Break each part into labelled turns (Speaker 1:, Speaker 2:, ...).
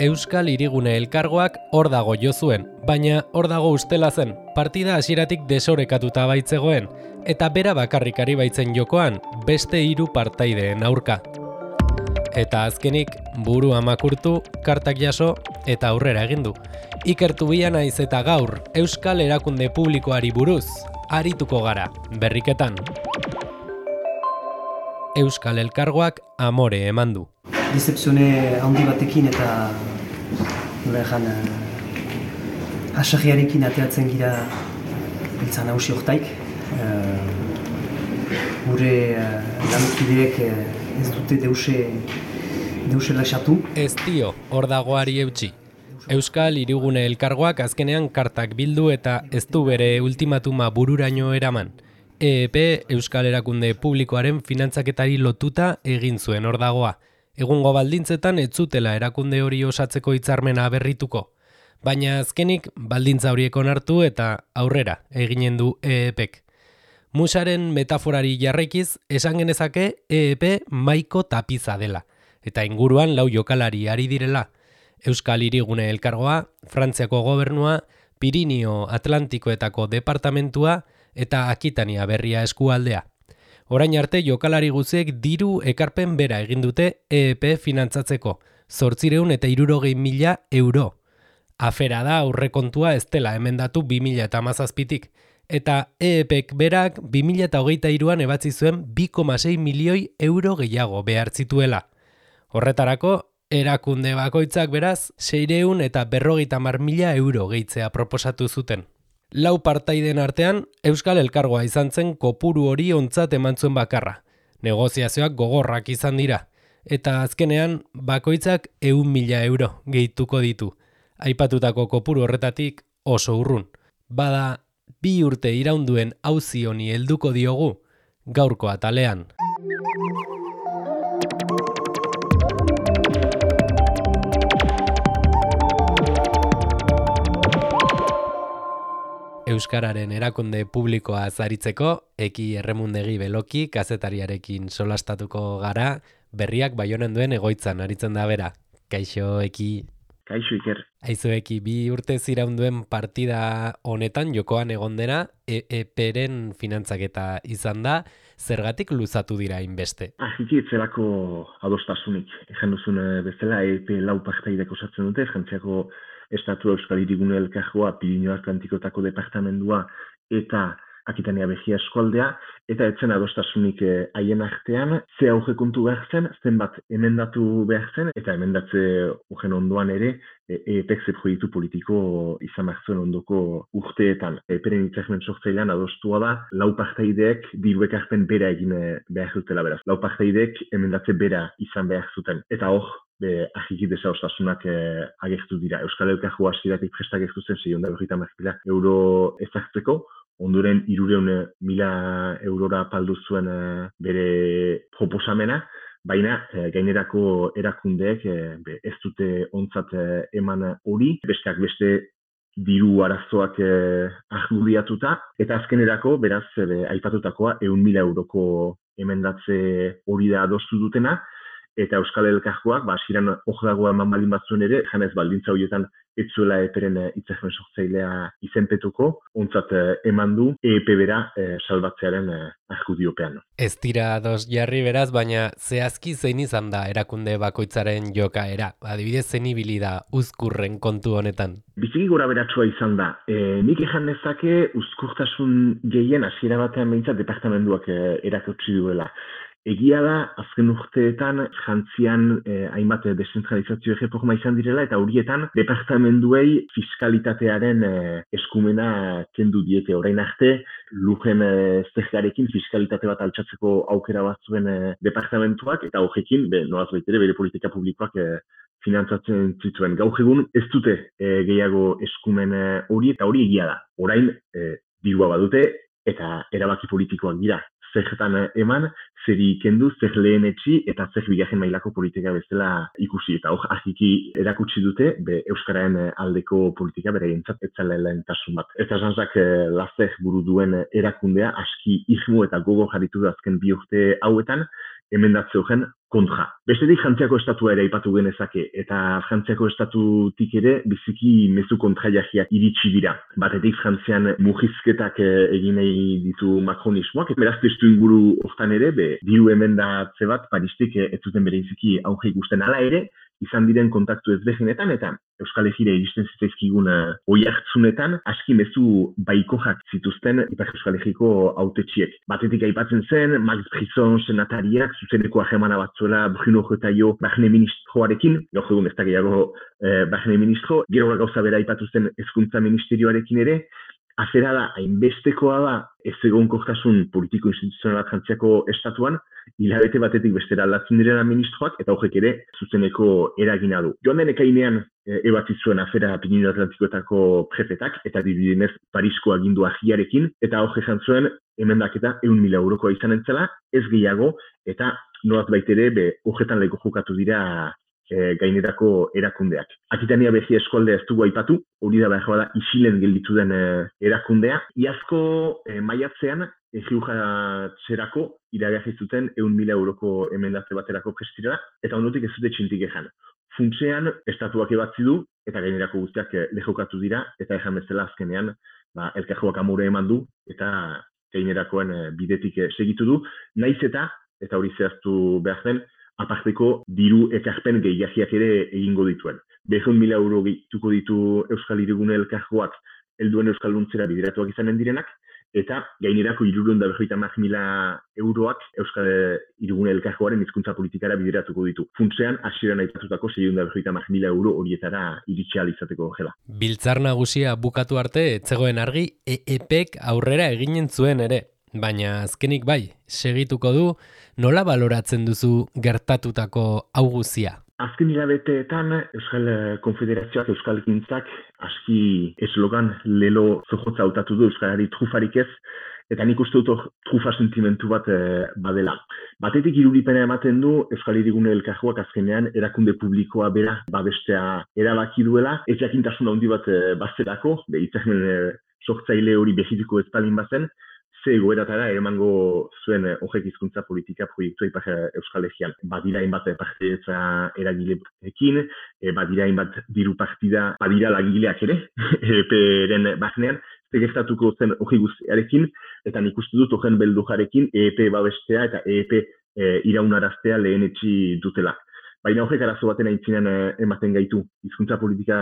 Speaker 1: Euskal Hirigune Elkargoak hor dago jo zuen, baina hor dago ustela zen, partida hasieratik desorekatuta baitzegoen, eta bera bakarrik ari baitzen jokoan, beste 3 partaideen aurka. Eta azkenik, burua makurtu, kartak jaso eta aurrera egin du. Ikertu bila naiz eta gaur, Euskal Erakunde Publikoari buruz, arituko gara, berriketan. Euskal Elkargoak amore eman du.
Speaker 2: Decepzione handi batekin eta hasarriarekin ateatzen gira biltzan hausi hortaik. Gure lankideek ez dute deuse laxatu.
Speaker 1: Ez dio, hor dagoari eutxi. Euskal Hirigune Elkargoak azkenean kartak bildu eta ez du bere ultimatuma bururaino eraman. EEP Euskal Erakunde Publikoaren finantzaketari lotuta egin zuen hor dagoa. Egungo baldintzetan ez zutela erakunde hori osatzeko hitzarmena berrituko. Baina azkenik baldintza horiek onartu eta aurrera eginen du EEPek. Musaren metaforari jarraikiz esan genezake EEP maiko tapiza dela. Eta inguruan 4 jokalari ari direla. Euskal Hirigune Elkargoa, Frantziako gobernua, Pirinio Atlantikoetako departamentua eta Akitania Berria eskualdea. Orain arte jokalari guziek diru ekarpen bera egin dute EEP finantzatzeko, 860.000 euro. Afera da aurrekontua ez dela emendatu 2017tik, eta EEPek berak 2023an ebatzi zuen 2,6 milioi euro gehiago behar zituela. Horretarako, erakunde bakoitzak beraz 650.000 euro gehitzea proposatu zuten. 4 partaiden artean, Euskal Elkargoa izan zen kopuru hori ontzat eman zuen bakarra. Negoziazioak gogorrak izan dira. Eta azkenean, bakoitzak 100.000 euro gehituko ditu. Aipatutako kopuru horretatik oso urrun. Bada, 2 urte iraunduen auzi honi helduko diogu, gaurko atalean. Euskararen erakunde publikoa zaritzeko, Eki Erremundegi Beloki kazetariarekin solastatuko gara, berriak Baionan duen egoitzan aritzen da bera. Kaixo, Eki.
Speaker 3: Kaixo, Iker.
Speaker 1: Aizu, Eki, 2 urte ziraunduen partida honetan jokoan egon dena, EEPren finantzaketa izan da, zergatik luzatu dira inbeste?
Speaker 3: Ahiki etzelako adostasunik. Ejan duzun bezala, EEP 4 partaidek osatzen dute, Frantziako Estatu Euskal Hirigune Elkargoa, Pirinio Atlantikoetako departamendua eta Akitania Berria eskualdea, eta etzen adostasunik haien artean, ze aurrekontu behar zen, zenbat emendatu behar zen, eta emendatze horren ondoan ere, EEPek ze proiektu politiko izan behar zuen ondoko urteetan. EEPren hitzarmen sortzailean adostua da, 4 partaideek diru ekarpen bera egin behar dutela beraz. 4 partaideek emendatze bera izan behar zuten. Eta hor, ahiki desadostasunak agertu dira. Euskal Elkargoa hasieratik prestak ez zen 650.000 euro ezartzeko, ondoren 300.000 eurora paldu zuen bere proposamena, baina gainerako erakundeek ez dute ontzat eman hori, besteak beste diru arazoak argudiatuta, eta azkenerako, beraz, aipatutakoa 100.000 euroko emendatze hori da adostu dutena, eta Euskal Elkargoak, hasieran dagoa eman baldin batzuen ere, janez baldintza horietan ez zuela EEPren hitzarmen sortzailea izenpetuko, ontzat eman du EEP bera salbatzearen argudiopean.
Speaker 1: Ez dira ados jarri beraz, baina zehazki zein izan da erakunde bakoitzaren jokaera? Adibidez, zein ibili da uzkurren kontu honetan?
Speaker 3: Biziki gora beratsua izan da. Nik ejan dezake uzkurtasun gehien hasiera batean behintzat departamenduak erakutsi duela. Egia da, azken urteetan Frantzian hainbat deszentralizazio erreforma izan direla eta horietan departamenduei fiskalitatearen eskumena kendu diete. Orain arte, lujen zergarekin fiskalitate bat altxatzeko aukera bat zuen departamentuak eta horrekin, noaz baitere bere politika publikoak finantzatzen zituen. Gaur egun ez dute gehiago eskumen hori eta hori egia da. Orain dirua badute eta erabaki politikoak dira. Zertan eman, zeri kendu, zer lehen etxi eta zer bigarren mailako politika bezala ikusi. Eta hor, ahiki erakutsi dute, Euskararen aldeko politika beraientzat etzela lehentasun bat. Eta jantzak lazer buru duen erakundea, aski irmo eta gogo jarritu da azken 2 urte hauetan, emendatze horren kontra. Bestetik Frantziako estatua ere aipatu genezake, eta Frantziako estatutik ere biziki mezu kontraiagiak iritsi dira. Batetik Frantzian murrizketak egin nahi ditu makronismoak, eta beraz testu inguru hortan ere, diru emendatze bat Paristik ez zuten bereziki auge ikusten ala ere, izan diren kontaktu ezberdinetan eta Euskal Herrira iristen zitzaizkigun oihartzunetan aski mezu baikojak zituzten Ipar Euskal Herriko hautetsiek. Batetik aipatzen zen, Max Brisson senatariak zuzeneko harremana bat zuela Bruno Retailleau barne ministroarekin, gaur egun ez da gehiago barne ministro, gero gauza bera aipatu zen hezkuntza ministerioarekin ere, afera da, hainbestekoa da, ez egonkortasun politiko-instituzionala Frantziako estatuan, hilabete batetik bestera aldatzen direna ministroak, eta horrek ere zuzeneko eragina du. Joan den ekainean ebatzi zuen afera Pirinio Atlantikoetako prefetak, eta dibidenez Parisko agindu agiarekin, eta horrek esan zuen emendaketa 100.000 eurokoa izan entzela, ez gehiago, eta nolat baitere horretan leko jokatu dira gainerako erakundeak. Akitania Berria eskualdea ez dugu aipatu, hori da behar da isilen gelditu den erakundea. Iazko maiatzean, Egiujatzerako iragarri zuten 100.000 euroko emendatze baterako prestirela, eta ondotik ez dute txintik ezan. Funtsean, estatuak ebatzi du, eta gainerako guztiak lehokatu dira, eta ejan bezala azkenean, elkarjoak amore eman du, eta gainerakoen bidetik segitu du, naiz eta hori zehaztu behar zen, aparteko diru ekarpen gehiagiak ere egingo dituen. 200.000 euro gehituko ditu Euskal Hirigune elkargoak helduen Euskalduntzera bideratuak izanen direnak, eta gainerako 350.000 euroak Euskal Hirigune elkargoaren hizkuntza politikara bideratuko ditu. Funtsean, hasieran aipatutako 650.000 euro horietara iritsi ahal izateko gela.
Speaker 1: Biltzar nagusia bukatu arte, etzegoen argi, EEPek aurrera eginen zuen ere. Baina azkenik bai, segituko du, nola baloratzen duzu gertatutako hau guzia?
Speaker 3: Azken hilabeteetan Euskal Konfederazioak, Euskal Gintzak aski eslogan lelo zojotza hautatu du Euskarari trufarik ez, eta nik uste dut trufa sentimentu bat badela. Batetik irudipena ematen du Euskal Hirigune elkargoak azkenean erakunde publikoa bera babestea erabaki duela, ez jakintasun handi bat bazterako, hitzarmen sortzaile hori behituko ez palin bazen, ze egoeratara emango zuen horrek hizkuntza politika proiektua Ipar Euskal Herrian. Badira hainbat partaidetza eragileekin, badira hainbat diru partida, badira langileak ere, EEPren barnean, gertatuko zen hori guztiarekin, eta nik uste dut horren beldujarekin EEP babestea eta EEP iraunaraztea lehenetsi dutela. Baina horrek arazo baten aintzinean ematen gaitu. Hizkuntza politika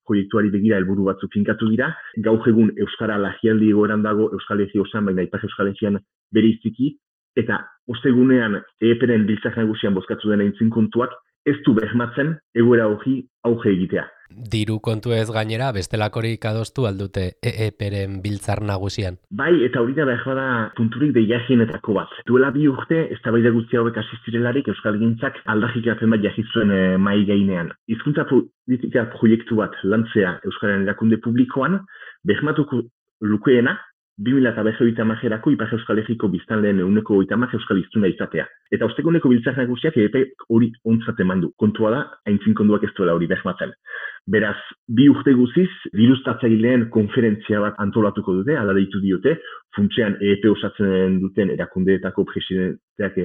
Speaker 3: proiektuari begira helburu batzuk finkatu dira. Gaur egun Euskara lagialdi egoeran dago Euskal Herri osoan, baina Ipar Euskal Herrian bereiziki, eta ostegunean EEPren biltzar nagusian bozkatu den aintzin kontuak ez du bermatzen egoera hori auge egitea.
Speaker 1: Diru kontu ez gainera, bestelakorik adostu aldute EEPren biltzar nagusian.
Speaker 3: Bai, eta hori da behar da punturik deiagienetako bat. Duela 2 urte, eztabaida guzti hauek asistirelarik Euskal Gintzak aldajikatzen bat jahitzuen mai gainean. Hizkuntza politika proiektu bat lantzea Euskararen erakunde publikoan, bermatuko lukeena, 2030erako Ipar Euskal Herriko biztanleen 130 euskal hiztuna izatea. Eta osteguneko biltzar nagusiak EEP hori ontzat eman du. Kontua da, aintzin konduak ez duela hori bermatzen. Beraz, 2 urte guziz, dirustatzaileen konferentzia bat antolatuko dute, ala deitu diote, funtsean EEP osatzen duten erakundeetako presidenteak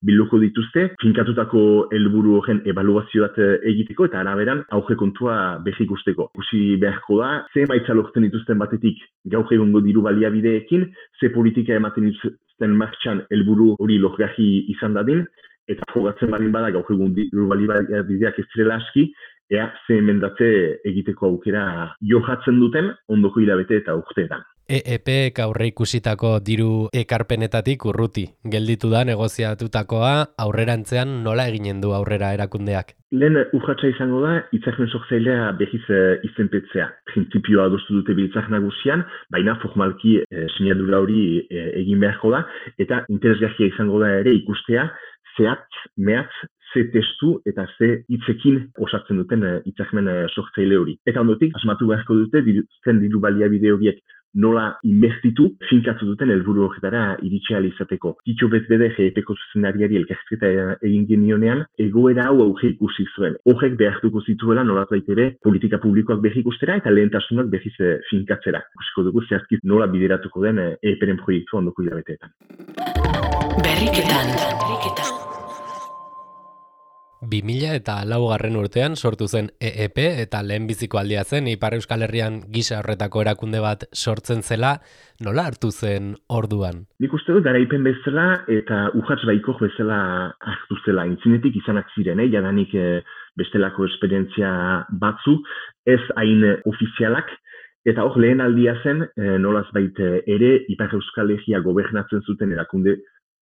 Speaker 3: bilduko dituzte, finkatutako helburu horren ebaluazio bat egiteko, eta araberan auge kontua berri ikusteko. Ikusi beharko da, ze emaitza lortzen dituzten batetik gaur egungo diru baliabideekin, ze politika ematen dituzten martxan helburu hori lorgarri izan dadin, eta jogatzen badin bada gaur egun diru baliabideak ez direla aski, ea ze emendatze egiteko aukera johatzen duten ondoko hilabete eta urteetan.
Speaker 1: EEPek aurre ikusitako diru ekarpenetatik urruti. Gelditu da negoziatutakoa aurrerantzean nola eginen du aurrera erakundeak?
Speaker 3: Lehen urratsa izango da, hitzarmen sortzailea berriz izenpetzea. Printzipioa adostu dute biltzar nagusian, baina formalki sinadura hori egin beharko da, eta interesgarria izango da ere ikustea, zehatz, mehatz, ze testu eta ze hitzekin osatzen duten hitzarmen sortzaile hori. Eta ondotik, asmatu beharko dute, diru baliabide horiek nola investitu, finkatu duten helburu horretara iritsi ahal izateko. Tito Bezbeder EEPko zuzendariari elkarrizketa egin genionean, egoera hau auge ikusi zuen. Horrek behartuko zituela nolazbait ere politika publikoak berri ikustera eta lehentasunak berriz finkatzera. Ikusiko dugu zehazkiz nola bideratuko den EEPren proiektu ondoko hilabeteetan.
Speaker 4: Berriketan.
Speaker 1: 2004 urtean sortu zen EEP eta lehenbiziko aldia zen Ipar Euskal Herrian gisa horretako erakunde bat sortzen zela, nola hartu zen orduan?
Speaker 3: Nik uste dut garaipen bezala eta urrats baikor bezala hartu zela. Intzinetik izanak ziren, jadanik bestelako esperientzia batzu, ez hain ofizialak, eta hor lehen aldia zen, nolaz baita ere, Ipar Euskal Herria gobernatzen zuten erakunde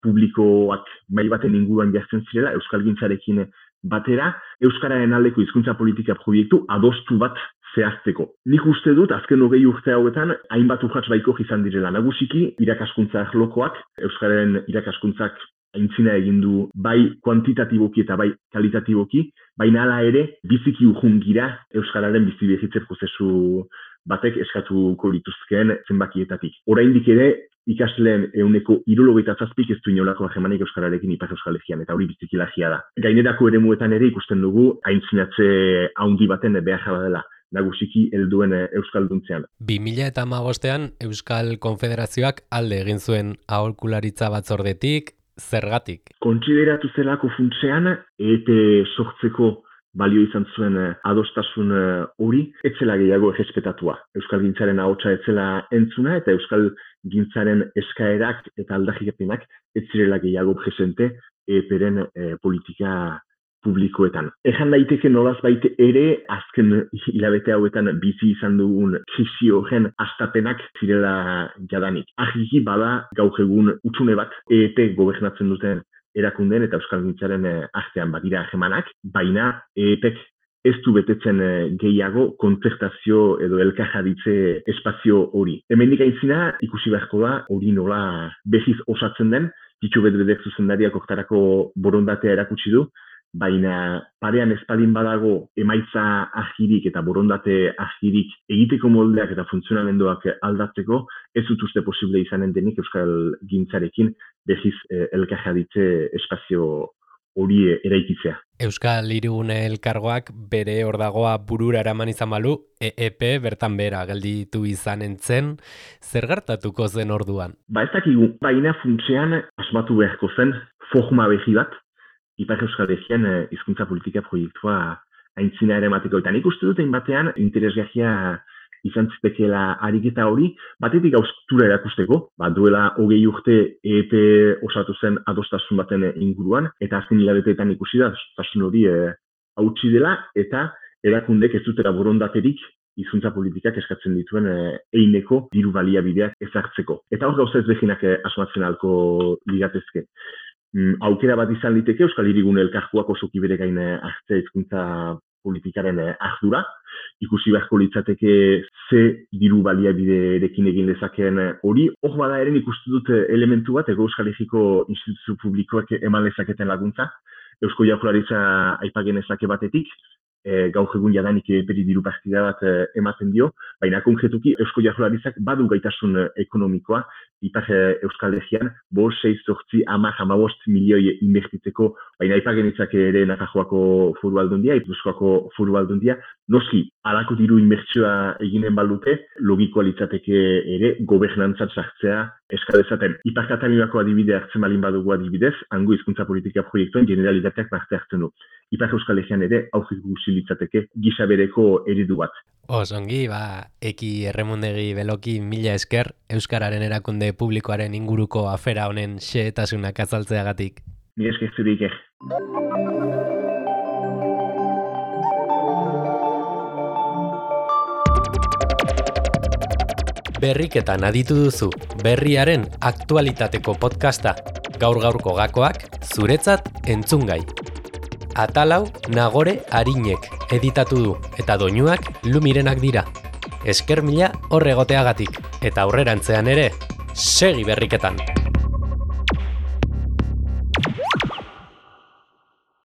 Speaker 3: publikoak mai baten inguruan jartzen zirela, euskalgintzarekin batera, euskararen aldeko hizkuntza politika proiektu adostu bat zehazteko. Nik uste dut, azken 20 urte hauetan, hainbat urrats baikor izan direla. Nagusiki, irakaskuntza arlokoak, euskararen irakaskuntzak aintzina egin du bai kuantitatiboki eta bai kalitatiboki, baina hala ere, biziki urrun gira euskararen bizi berritze prozesu batek eskatuko lituzkeen zenbakietatik. Oraindik ere, ikasleen 77% ez du inolako harremanik euskararekin Ipar Euskal Herrian, eta hori biziki larria da. Gainerako eremuetan ere ikusten dugu aintzinatze handi baten behar dela, nagusiki helduen euskalduntzean.
Speaker 1: 2015ean Euskal Konfederazioak alde egin zuen aholkularitza batzordetik, zergatik?
Speaker 3: Kontsideratu zelako funtsean, EEP sortzeko balio izan zuen adostasun hori, etzela gehiago errespetatua. Euskalgintzaren ahotsa etzela entzuna eta euskalgintzaren eskaerak eta aldarrikapenak etzirela gehiago presente EEPren politika publikoetan. Ejan daiteke nolaz baite ere, azken hilabete hauetan bizi izan dugun krisi horren hastapenak zirela jadanik. Argiki bada gaur egun hutsune bat EEP gobernatzen duten erakundeen eta euskalgintzaren artean badira harremanak, baina EEPek ez du betetzen gehiago kontzertazio edo elkarjaditze espazio hori. Hemendik aintzina ikusi beharko da hori nola behiz osatzen den, Txitxo Bedbedek zuzendariak hortarako borondatea erakutsi du, baina parean espalin badago emaitza agirik eta borondate agirik egiteko moldeak eta funtzionamenduak aldatzeko, ez dut uste posible izanen denik euskal gintzarekin behiz elkarjaditze espazio hori eraikitzea.
Speaker 1: Euskal Hirigune Elkargoak bere ordagoa burura eraman izan balu, EEP bertan bera gelditu izanen zen, zer gertatuko zen orduan?
Speaker 3: Ez dakigu, baina funtsean asmatu beharko zen forma behi bat, Ipar Euskal Herrian hizkuntza politika proiektua aintzina ere emateko. Eta nik uste dut batean interesgarria izan zitekeela ariketa hori, batetik haustura erakusteko, duela 20 urte EEP osatu zen adostasun baten inguruan, eta azken hilabeteetan ikusi da, adostasun hori hautsi dela, eta erakundek ez dutera borondaterik hizkuntza politikak eskatzen dituen eineko diru baliabideak ezartzeko. Eta hor gauza ezberdinak asmatzen ahalko liratezke. Aukera bat izan liteke Euskal Hirigune Elkargoak osoki bere gain hartzea hizkuntza politikaren ardura, ikusi beharko litzateke ze diru baliabiderekin egin dezakeen hori. Hor bada ere ikustu dut elementu bat, Euskal Herriko instituzio publikoak eman lezaketen laguntza, Eusko Jaurlaritza aipagen ezake batetik, gaur egun jadanik EEPri diru partida bat ematen dio, baina konkretuki Eusko Jaurlaritzak badu gaitasun ekonomikoa, Ipar Euskal Herrian, 6-8-10-15 milioi inbertitzeko, baina aipagenitzak ere Nafarroako Foru Aldundia, Gipuzkoako Foru Aldundia, noski, halako diru inbertsioa eginen baldute, logikoa litzateke ere gobernantzat sartzea eskadezaten. Ipar Kataluniako adibide hartzen balin badugu adibidez, hango hizkuntza politika proiektuen generalitateak parte hartzen du. Ipar Euskal Herrian ere aurrikusi litzateke gisa bereko eredu bat.
Speaker 1: Osongi, Eki Erremundegi Beloki, mila esker, Euskararen erakunde publikoaren inguruko afera honen xehetasunak azaltzeagatik.
Speaker 3: Mila esker zure Iker.
Speaker 1: Berriketan aditu duzu, berriaren aktualitateko podcasta. Gaur-gaurko gakoak, zuretzat entzungai. Atalau Nagore Arinek editatu du, eta doinuak Lumirenak dira. Esker mila horregoteagatik, eta aurrerantzean ere, segi berriketan!